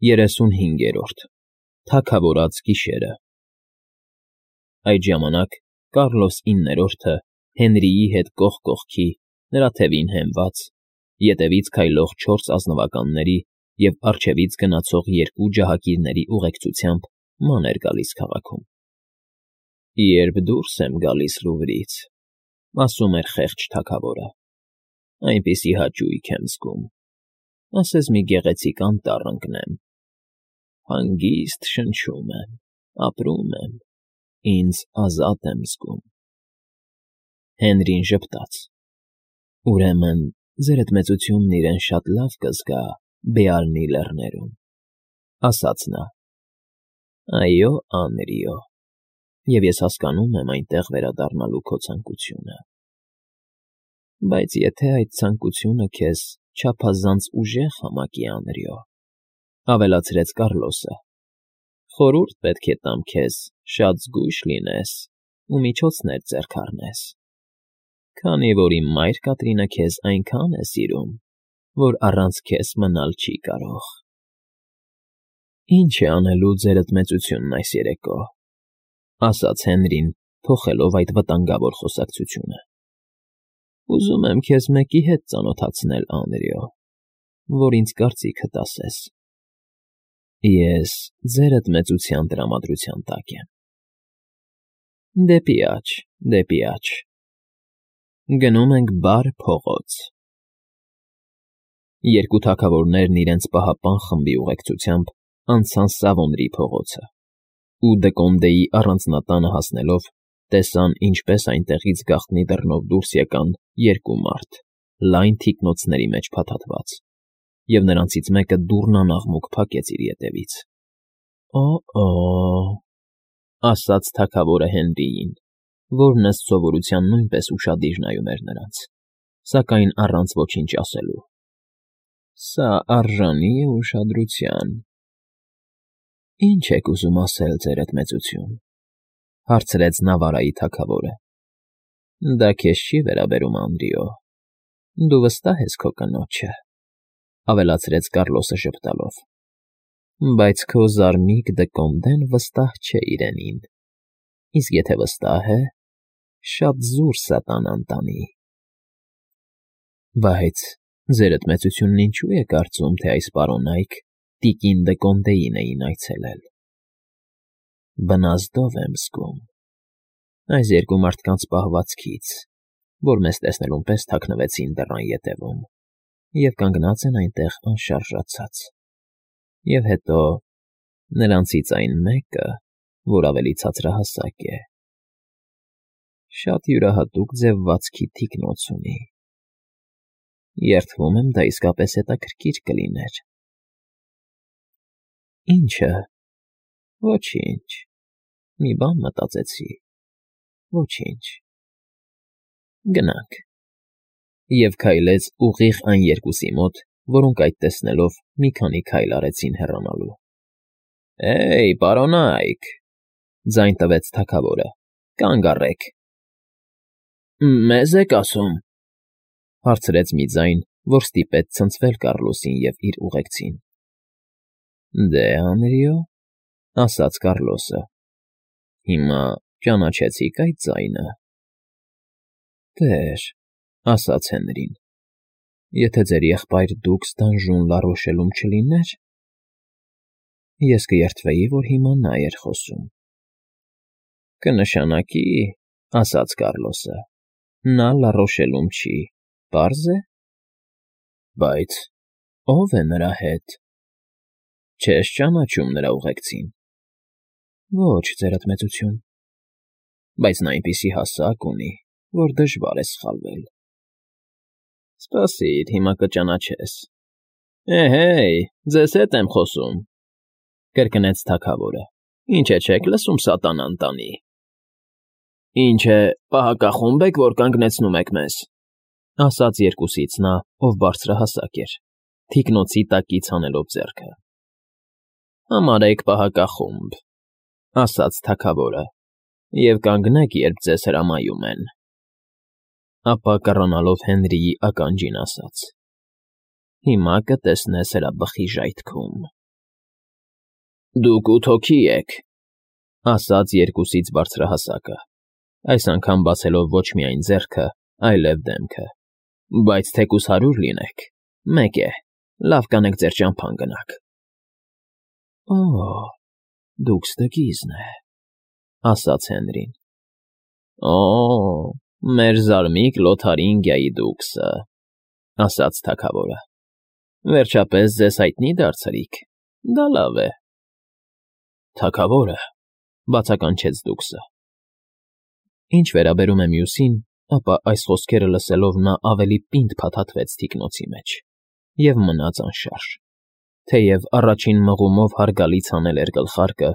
35-րդ Թագավորած գիշերը Այդ ժամանակ Կառլոս IX-ը Հենրիի հետ կողք կողքի, նրա թևին հենված, ետևից քայլող 4 ազնվականների և առջևից գնացող 2 ջահակիրների ուղեկցությամբ ման էր գալիս քաղաքում։ «Երբ դուրս եմ գալիս Լուվրից,֊ ասում էր խեղճ թագավորը,֊ այնպիսի հաճույք եմ զգում, ասես մի գեղեցիկ անտառ ընկնեմ, հանգիստ շնչում եմ, ապրում եմ, ինձ ազատ եմ զգում»։ Հենրին ժպտաց. «Ուրեմն ձերդ մեծությունն իրեն շատ լավ կզգա Բեալնի լեռներում», ասաց նա։ «Այո, Անրիո, և ես հասկանում եմ այնտեղ վերադառնալու քո ցանկությունը։ Բայց եթե այդ ցանկությունը քեզ չափազանց ուժեղ համակի, Անրիո,֊ ավելացրեց Կառլոսը,֊ խորհուրդ պետք է տամ քեզ շատ զգույշ լինես ու միջոցներ ձեռք առնես, քանի որ իմ մայր Կատրինը քեզ այնքան է սիրում, որ առանց քեզ մնալ չի կարող»։ «Ինչ է անելու ձերդ մեծությունն այս երեկո,֊ ասաց Հենրին, փոխելով այդ վտանգավոր խոսակցությունը։ «Ուզում եմ քեզ մեկի հետ ծանոթացնել, Անրիո, որ ինձ կարծիքդ ասես»։ «Ես ձերդ մեծության տրամադրության տակ եմ»։ «Դեպի աջ, դեպի աջ։ Գնում ենք Բար փողոց»։ Երկու թագավորներն իրենց պահապան խմբի ուղեկցությամբ անցան Սավոնրի փողոցը ու Դկոնդեի առանձնատանը հասնելով տեսան, ինչպես այնտեղից գաղտնի դռնով դուրս եկան 2 մարդ, լայն թիկնոցների մեջ փաթաթված, և նրանցից մեկը դուռնան աղմուկ փակեց իր ետևից։ «Օ՜օ», ասաց թագավորը Հենրիին, որն ըստ սովորության նույնպես ուշադիր նայում էր նրանց, սակայն առանց ոչինչ ասելու։ «Սա արժանի է ուշադրության»։ «Ինչ եք ուզում ասել, ձերդ մեծություն,֊ հարցրեց Նավարայի թագավորը։ «Դա քեզ չի վերաբերում, Անրիո, դու վստահ ես քո կնոջը,֊ ավելացրեց Կառլոսը ժպտալով,֊ բայց քո զարմիկ Դկոնդեն վստահ չէ իրենին, իսկ եթե վստահ է, շատ զուր սատանան տանի»։ «Բայց ձերդ մեծությունն ինչո՞ւ է կարծում, թե այս պարոնայք տիկին Դկոնդեին էին այցելել»։ «Բնազդով եմ զգում այս 2 մարդկանց պահվածքից, որ մեզ տեսնելուն պես թաքնվեցին դռան ետևում և կանգնած են այնտեղ անշարժացած, և հետո նրանցից այն մեկը, որ ավելի ցածրահասակ է, շատ յուրահատուկ ձևվածքի թիկնոց ունի։ Երդվում եմ, դա իսկապես հետաքրքիր կլիներ»։ «Ի՞նչը»։ «Ոչինչ, մի բան մտածեցի, ոչինչ»։ «Գնանք»։ Եվ քայլեց ուղիղ այն 2-ի մոտ, որոնք այդ տեսնելով մի քանի քայլ արեցին հեռանալու։ «Հեյ, պարոնա՜յք,֊ ձայն տվեց թագավորը,֊ կանգ առեք»։ «Մե՞զ եք ասում,֊ հարցրեց մի ձայն, որ ստիպեց ցնցվել Կառլոսին և իր ուղեկցին։ «Դե, Անրիո,֊ ասաց Կառլոսը,֊ հիմա ճանաչեցի՞ք այդ ձայնը»։ «Տեր,֊ ասաց Հենրին,֊ եթե ձեր եղբայր Դուքս Դանժոն Լա Ռոշելում չլիներ, ես կերդվեի, որ հիմա նա էր խոսում»։ «Կնշանակի,֊ ասաց Կառլոսը,֊ նա Լա Ռոշելում չի, պարզ է»։ «Բայց ո՞վ է նրա հետ։ Չես ճանաչում նրա ուղեկցին»։ «Ոչ, ձերդ մեծություն»։ «Բայց նա այնպիսի հասակ ունի, որ դժվար է սխալվել»։ «Սպասիր, հիմա կճանաչես»։ «Էհեյ, ձեզ հետ եմ խոսում,֊ կրկնեց թագավորը,֊ ինչ է չեք լսում սատանան տանի»։ «Ինչ է, պահակախո՞ւմ եք, որ կանգնեցնում եք մեզ», ասաց 2-ից նա, ով բարձրահասակ էր, թիկնոցի տակից հանելով ձեռքը։ «Համարեք պահակախումբ,֊ ասաց թագավորը,֊ և կանգնեք, երբ ձեզ հրամայում են»։ Ապա կռանալով Հենրիի ականջին ասաց. «Հիմա կտեսնես հրաբխի ժայթքում»։ Դուք 8 հոգի եք,֊ ասաց երկուսից բարձրահասակը, այս անգամ բացելով ոչ միայն ձեռքը, այլև դեմքը,֊ բայց թեկուզ 100 լինեք, մեկ է, լավ կանեք ձեր ճամփան գնաք։ Օ՜, դուք ստգիզն է,֊ ասաց Հենրին։ Օ՜, մեր զարմիկ Լոթարինգիայի դուքսը,֊ ասաց թագավորը։ Վերջապես ձեզ հայտնի դարձրիք, դա լավ է։ Թագավորը,֊ բացականչեց դուքսը։ Ինչ վերաբերում է մյուսին, ապա այս խոսքերը լսելով նա ավելի պինդ փաթաթվեց թիկնոցի մեջ և մնաց անշարժ, թեև առաջին մղումով հարգալից հանել էր գլխարկը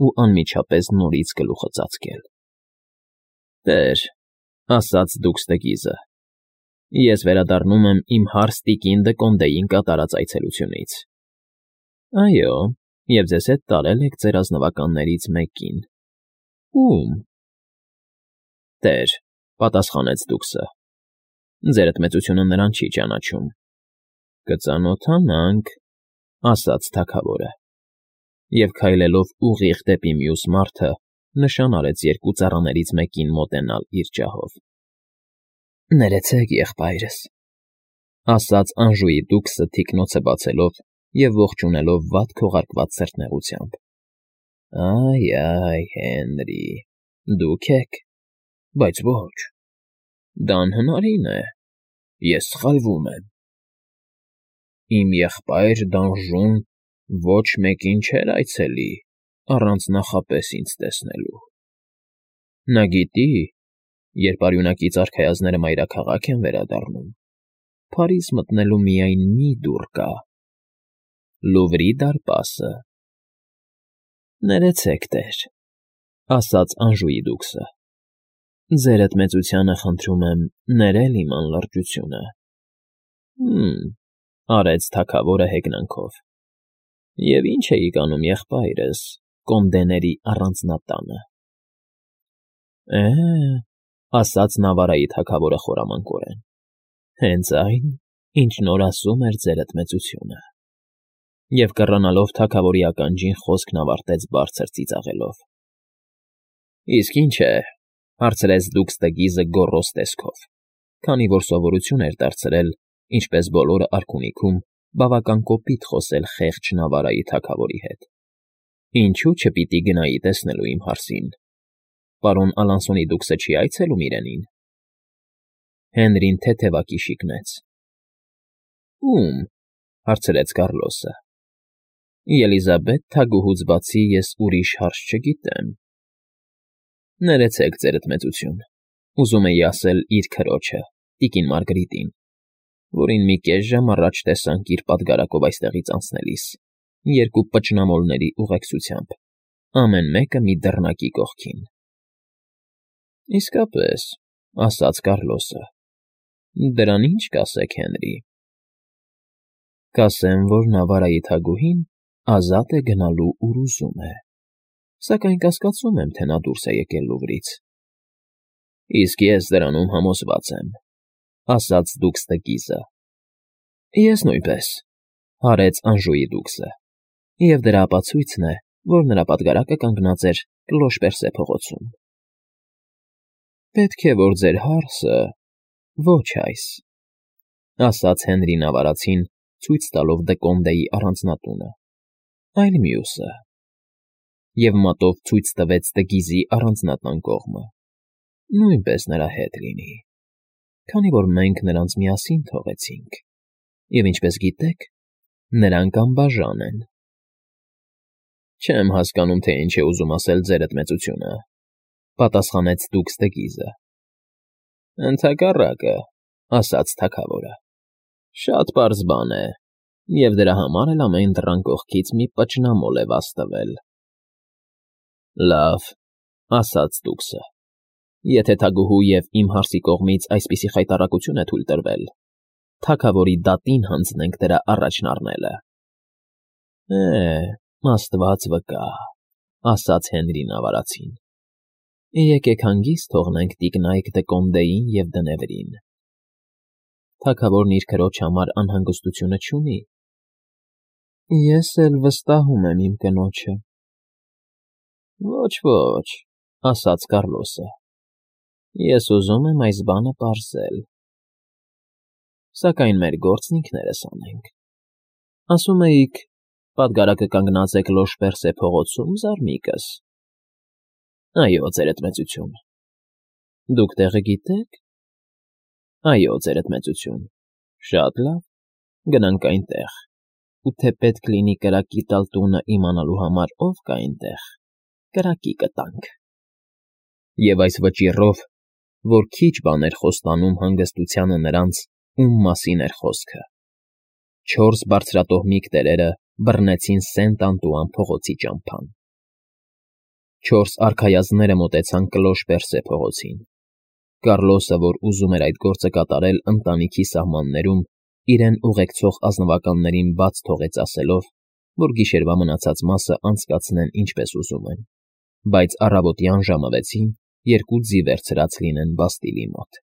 ու անմիջապես նորից գլուխը ծածկել։ Տեր,֊ ասաց դուքստգիզը,֊ ես վերադառնում եմ իմ հարս տիկին Դկոնդեին կատարած այցելությունից։ Այո, և ձեզ հետ տարել եք ձեր ազնվականներից մեկին։ Ո՞ւմ։ Տեր,֊ պատասխանեց դուքսը,֊ ձերդ մեծությունը նրան չի ճանաչում։ Կծանոթանանք,֊ ասաց թագավորը, և քայլելով ուղիղ դեպի մյուս մարդը, նշան արեց երկու ծառաներից մեկին մոտենալ իր ջահով։ Ներեցեք, եղբայրս,֊ ասաց Անժուի դուքսը թիկնոցը բացելով և ողջունելով վատ քողարկված սրտնեղությամբ։ Այ, Հենրի, դուք եք, բայց ոչ, դա անհնարին է, ես սխալվում եմ։ Իմ եղբայր Դանժոն ոչ մեկին չէր այցելի առանց նախապես ինձ տեսնելու։ Նա գիտի, երբ արյունակից արքայազնները մայրաքաղաք են վերադառնում, Փարիզ մտնելու միայն մի դուռ կա՝ Լուվրի դարպասը։ Ներեցեք, տեր,֊ ասաց Անժուի դուքսը, ձերդ մեծությանը խնդրում եմ ներել իմ անլրջությունը։ Արեց թագավորը հեգնանքով։ Եվ ինչ էիք անում, եղբայրս, կոնդեների առանձնատանը։ Է,֊ ասաց Նավարայի թագավորը խորամանկորեն, հենց այն, ինչ նոր ասում էր ձերդ մեծությունը։ Եվ կռանալով թագավորի ականջին խոսքն ավարտեց բարձր ծիծաղելով։ Իսկ ի՞նչ է,֊ հարցրեց դուքստգիզը գոռոզ տեսքով, քանի որ սովորություն էր դարձրել, ինչպես բոլորը արքունիքում, բավական կոպիտ խոսել խեղճ Նավարայի թագավորի հետ։ Ինչու՞ չպիտի գնայի տեսնելու իմ հարսին։ Պարոն Ալանսոնի դուքսը չի այցելում իրենին։ Հենրին թեթևակի շիկնեց։ Ո՞ւմ,֊ հարցրեց Կառլոսը։ Ելիզաբեթ թագուհուց բացի ես ուրիշ հարս չգիտեմ։ Ներեցեք, ձերդ մեծություն, ուզում էի ասել իր քրոջը, տիկին Մարգրիտին, որին մի կես ժամ առաջ տեսանք իր պատգարակով այստեղից անցնելիս, երկու պճնամոլների ուղեկցությամբ, ամեն մեկը մի դռնակի կողքին։ Իսկապես,֊ ասաց Կառլոսը, դրան ի՞նչ կասեք, Հենրի։ Կասեմ, որ Նավարայի թագուհին ազատ է գնալու, ուր ուզում է, սակայն կասկածում եմ, թե նա դուրս է եկել Լուվրից։ Իսկ ես դրանում համոզված եմ,֊ ասաց դուքստգիզը։ Ես նույնպես,֊ հարեց Անժուի դուքսը, և դրա ապացույցն է, որ նրա պատգարակը կանգնած էր Կլոշ Պերսե փողոցում։ Պետք է, որ ձեր հարսը, ոչ այս,֊ ասաց Հենրի Նավարացին, ցույց տալով Դկոնդեի առանձնատունը, այլ մյուսը, և մատով ցույց տվեց տգիզի առանձնատան կողմը, նույնպես նրա հետ լինի, քանի որ մենք նրանց միասին թողեցինք, և ինչպես գիտեք, նրանք անբաժան են։ Չեմ հասկանում, թե ինչ է ուզում ասել ձերդ մեծությունը,֊ պատասխանեց դուքստգիզը։ Ընդհակառակը,֊ ասաց թագավորը, շատ պարզ բան է, և դրա համար էլ ամեն դռան կողքից մի պճնամոլ է վազ տվել։ Լավ,֊ ասաց դուքսը, եթե թագուհու և իմ հարսի կողմից այսպիսի խայտառակություն է թույլ տրվել, թագավորի դատին հանձնենք դրա առաջն առնելը։ Աստված վկա,֊ ասաց Հենրի Նավարացին, եկեք հանգիստ թողնենք տիկնայք Դկոնդեին և Դնևրին։ Թագավորն իր քրոջ համար անհանգստությունը չունի։ Ես էլ վստահում եմ իմ կնոջը, Ոչ, ասաց Կառլոսը։ Ես ուզում եմ այս բանը պարզել։ Սակայն մեր գործն ինքներս անենք։ Ասում էիք, պատգարակը կանգնած է Կլոշպերսե փողոցում, զարմիկս։ Այո, ձերդ մեծություն։ Դուք տեղը գիտե՞ք։ Այո, ձերդ մեծություն։ Շատ լավ, գնանք այնտեղ, ու թե պետք լինի կրակի տալ տունը իմանալու համար ով կա այնտեղ, կրակի կտանք։ Եվ այս վճիռով, որ քիչ բան էր խոստանում հանգստությանը նրանց, ում մասին էր խոսքը, 4 բարձրատոհմիկ տերերը բռնեցին Սենտ֊Անտուան փողոցի ճամփան։ 4 արքայազնները մոտեցան Կլոշպերսե փողոցին։ Կառլոսը, որ ուզում էր այդ գործը կատարել ընտանիքի սահմաններում, իրեն ուղեկցող ազնվականներին բաց թողեց ասելով, որ գիշերվա մնացած մասը անցկացնեն ինչպես ուզում են, բայց առավոտյան ժամը 6-ին 2 ձի վերցրած լինեն Բաստիլի մոտ։